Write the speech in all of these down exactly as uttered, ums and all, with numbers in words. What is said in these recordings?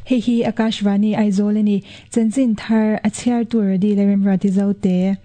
Hei hi Akashvani Aizawl ani. Chanchin thar a chhiar tur a dil a remruati zo te.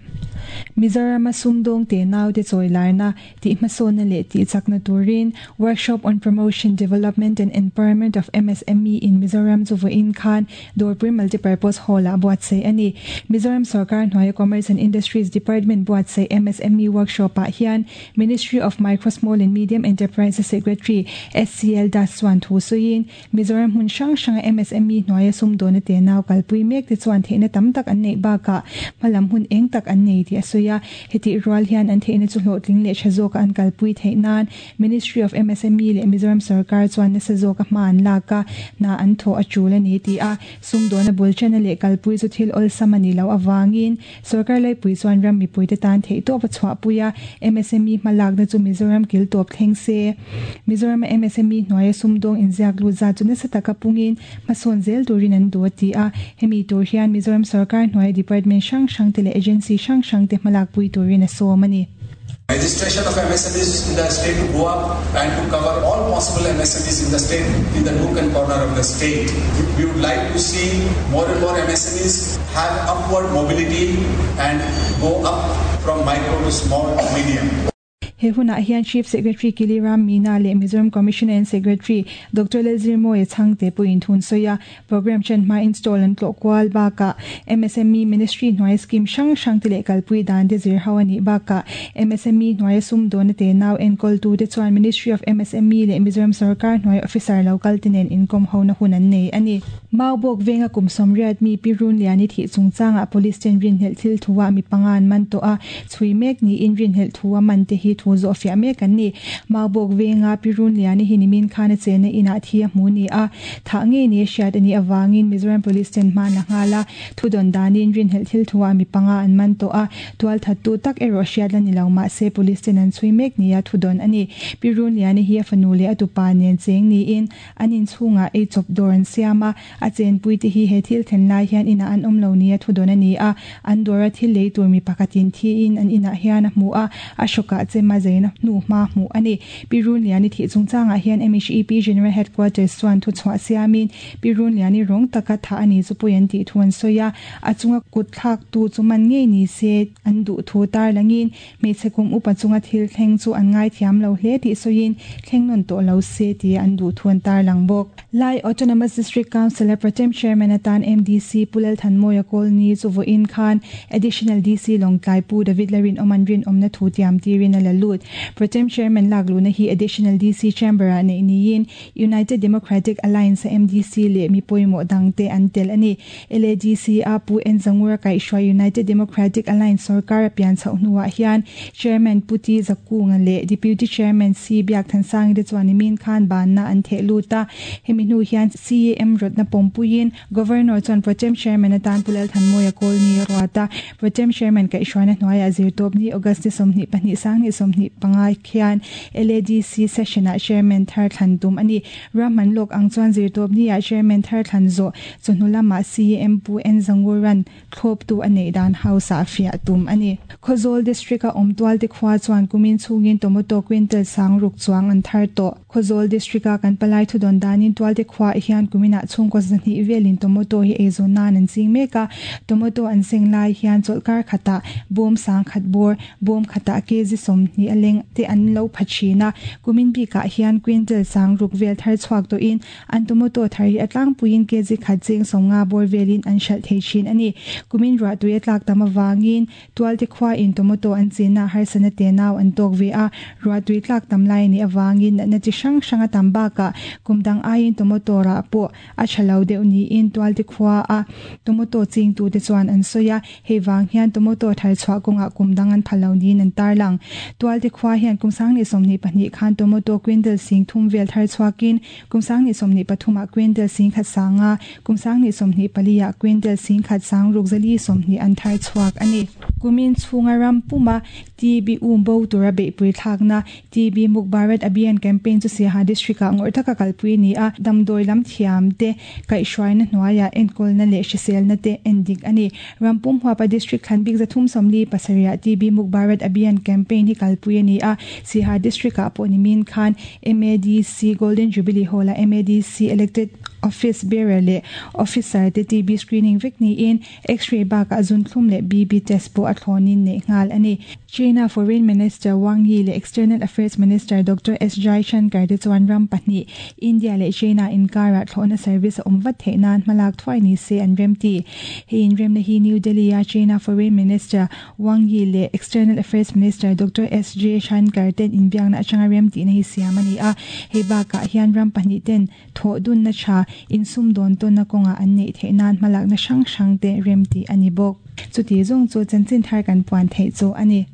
Mizoram a sumdawng te nau te chawi larna tih hmasawnna leh tih chakna turin Workshop on Promotion, Development and Empowerment of MSME in Mizoram chu vawiin khan Dawrpui Multipurpose Hall ah buatsaih a ni. Mizoram Sorkar hnuaia Commerce and Industries Department buatsaih MSME Workshop ah hian Ministry of Micro, Small and Medium Enterprises Secretary SCL Das chuan thu sawiin Mizoram hmun hrang hranga MSME hnuaia sumdawna te nau kalpui mek te chuan theihna tam tak an neih bakah hmalam hun eng tak an nei tih a sawi a. Hetih rual hian an theihna chu hlawhtling leh tha zawka an kalpui theih nan Ministry of MSME leh Mizoram Sorkar chuan nasa zawka hma an lak a, hna an thawh a tul a ni tih a. Sumdawna bul chana leh kalpui chu thil awlsam a ni loh avangin Sorkar laipui chuan ram mipuite tan theihtawp a chhuahpui a, MSME hmalakna chu Mizoram kil tawp thleng se. Mizorama MSME hnuaia sumdawng inziak lut zat chu nasa taka pungin hmasawn zel turin an duh a ti a. Hemi tur hian Mizoram Sorkar hnuaia department hrang hrang te leh agency hrang hrang te hmalakpui turin a sawm a ni. Registration of MSMEs in the state to go up and to cover all possible MSMEs in the state in the nook and corner of the state. We would like to see more and more MSMEs have upward mobility and go up from micro to small to medium. He hunah hian Chief Secretary Kili Ram Meena leh Mizoram Commissioner and Secretary Doctor Lalzirmawia Chhangte pawhin thun sawi a, program chen hma install an tlawh kual bakah MSME Ministry hnuaia scheme hrang hrang te leh kalpui dan te zir ho a nih bakah MSME hnuaia sumdawna te nau enkawl te chuan Ministry of MSME leh Mizoram Sarkar hnuaia officer local te nen inkawm hona hun an nei a ni. Maubawk venga kum sawmriat mi Pi Runliani thih chungchangah police ten rinhlelh thil thuah mi panga an man tawh a, chhui mek niin rinhlelh thu a man te hi thu zawh fiah mek an ni. Maubawk venga Pi Runliani hi nimin khan a chenna inah thi a hmu ni a, thah ngei ni a hriat a nih avangin Mizoram Police ten hman a nghal a, thu dawn danin rinhlelh thil thuah mi panga an man tawh a, tual thattu tak erawh hriat la ni lo mahse police ten an chhui mek nia thu dawn a ni. Pi Runliani hi a fanu leh a tupa nen cheng niin an inchhungah ei chawp dawr an siam a, a chenpui te hi he thil thlen lai hian inah an awm lo nia thu dawn a ni a, an dawra thil lei tur mi pakhatin thiin an inah hian a hmu a, a hrawkah chema zeina hnu hma hmuh a ni. Pi Runliani thih chungchangah hian MHEP General Headquarters chuan thu chhuah siamin Pi Runliani rawng taka thah a ni chu pawi an tih thu an sawi a, a chunga kut thlak tu chu man ngei ni se an duh thu tar langin hmeichhe kum upa chunga thil thleng chu an ngai thiam lo hle tih sawiin thleng nawn tawh lo se tih an duh thu an tar lang bawk. Lai Autonomous District Council a Protem Chairman atan MDC Pu Lalthanmawia Kawlni chu vawiin khan Additional DC Lawngtlai Pu David Larin awm an rin awmna thu tiam tirin a la lut. Protem Chairman lak luhna hi Additional DC Chamber ah neih niin United Democratic Alliance a MDC leh mi pawimawh dang te an tel a ni. LADC a Pu N Zangura kaihhruai United Democratic Alliance sarkar a pian chhoh hnuah hian Chairman Pu T Zakunga leh Deputy Chairman C Biak Thansangi te chuan nimin khan banna an theh lut a. Hemi hnu hian CAM rawtna pawmpuiin Governor chuan Protem Chairman atan Pu Lalthanmawia Kawlni a ruat a. Protem Chairman kaihhruaina hnuaiah zirtawp ni August ni sawmhnih pahnih sanghnih sawmhnih panga khian LADC session ah Chairman thar thlan tum a ni. Ramman lawk ang chuan zirtawp ni ah Chairman thar thlan zawh chawhnu lamah CAM Pu N Zanguran thlawp tu a neih dan house ah fiah tum a ni. Khawzawl District a awm tual te khua chuan kumin chhungin tomato quintal sang ruk chuang an thar tawh. Khawzawl District a kan palai thu dawn danin tual te khua hian kuminah chhungkaw zahnih velin tomato hi eizawn nan an ching mek a, tomato an seng lai hian chawlhkar khatah bawm sang khat bawr bawm khatah kg sawmhnih a leng te an lo pha thin a, kumin bikah hian quintal sang ruk vel thar chhuak tawhin an tomato thar hi a tlangpuiin kg khat cheng sawmnga bawr velin an hralh thei thin a ni. Kumin ruah tui a tlak tam avangin tual te khua in tomato an chenna harsana te nau an tawk ve a, ruah tui tlak tam lai anih avangin natna chi hrang hrang a tam bakah kum dang aiin tomato rah pawh a tha lo deuh niin tual te khua a tomato ching tu te chuan an sawi a, hei vang hian tomato thar chhuah kawngah kum dang an pha lo niin an tar lang. Tual te khua hian kum sanghnih sawmhnih pahnih khan tomato quintal sing thum vel thar chhuakin kum sanghnih sawmhnih pathumah quintal sing khat sanga kum sanghnih sawmhnih paliah quintal sing khat sang ruk zali sawmhnih an thar chhuak a ni. Kumin chhunga ram puma TB um bo tura beihpui thlakna TB Muk Bharat Abhiyan campaign chu Siaha district ah ngawrh taka kalpui ni a, damdawi lam thiam te kaihhruaina hnuaiah enkawlna leh hriselna te en dik a ni. Rampum huapa district thlan bik zathum sawmli pasarih TB Muk Bharat Abhiyan campaign hi kalpui kalpui a ni a. Siaha District ah pawh nimin khan M A D C Golden Jubilee Hall a M A D C Elected Office Bearer leh Officer te T B screening vek niin X-ray bakah zunthlum leh B P test pawh a thlawnin neih nghal a ni. China Foreign Minister Wang Yi leh External Affairs Minister Doctor S Jaishankar te chuan ram pahnih India leh China inkara thlawhna service a awm vat theih nan hmalak thuai ni se an remti. Hei inremna hi New Delhi a China Foreign Minister Wang Yi leh External Affairs Minister Doctor S Jaishankar ten inbiakna atanga remtihna hi siam a ni a. Hei bakah hian ram pahnih ten thawh dunna tha insum dawn tawnna kawnga an neih theih nan hmalakna hrang hrang te remti a ni bawk. Chuti zawng chu chanchin thar kan puan theih chu a ni.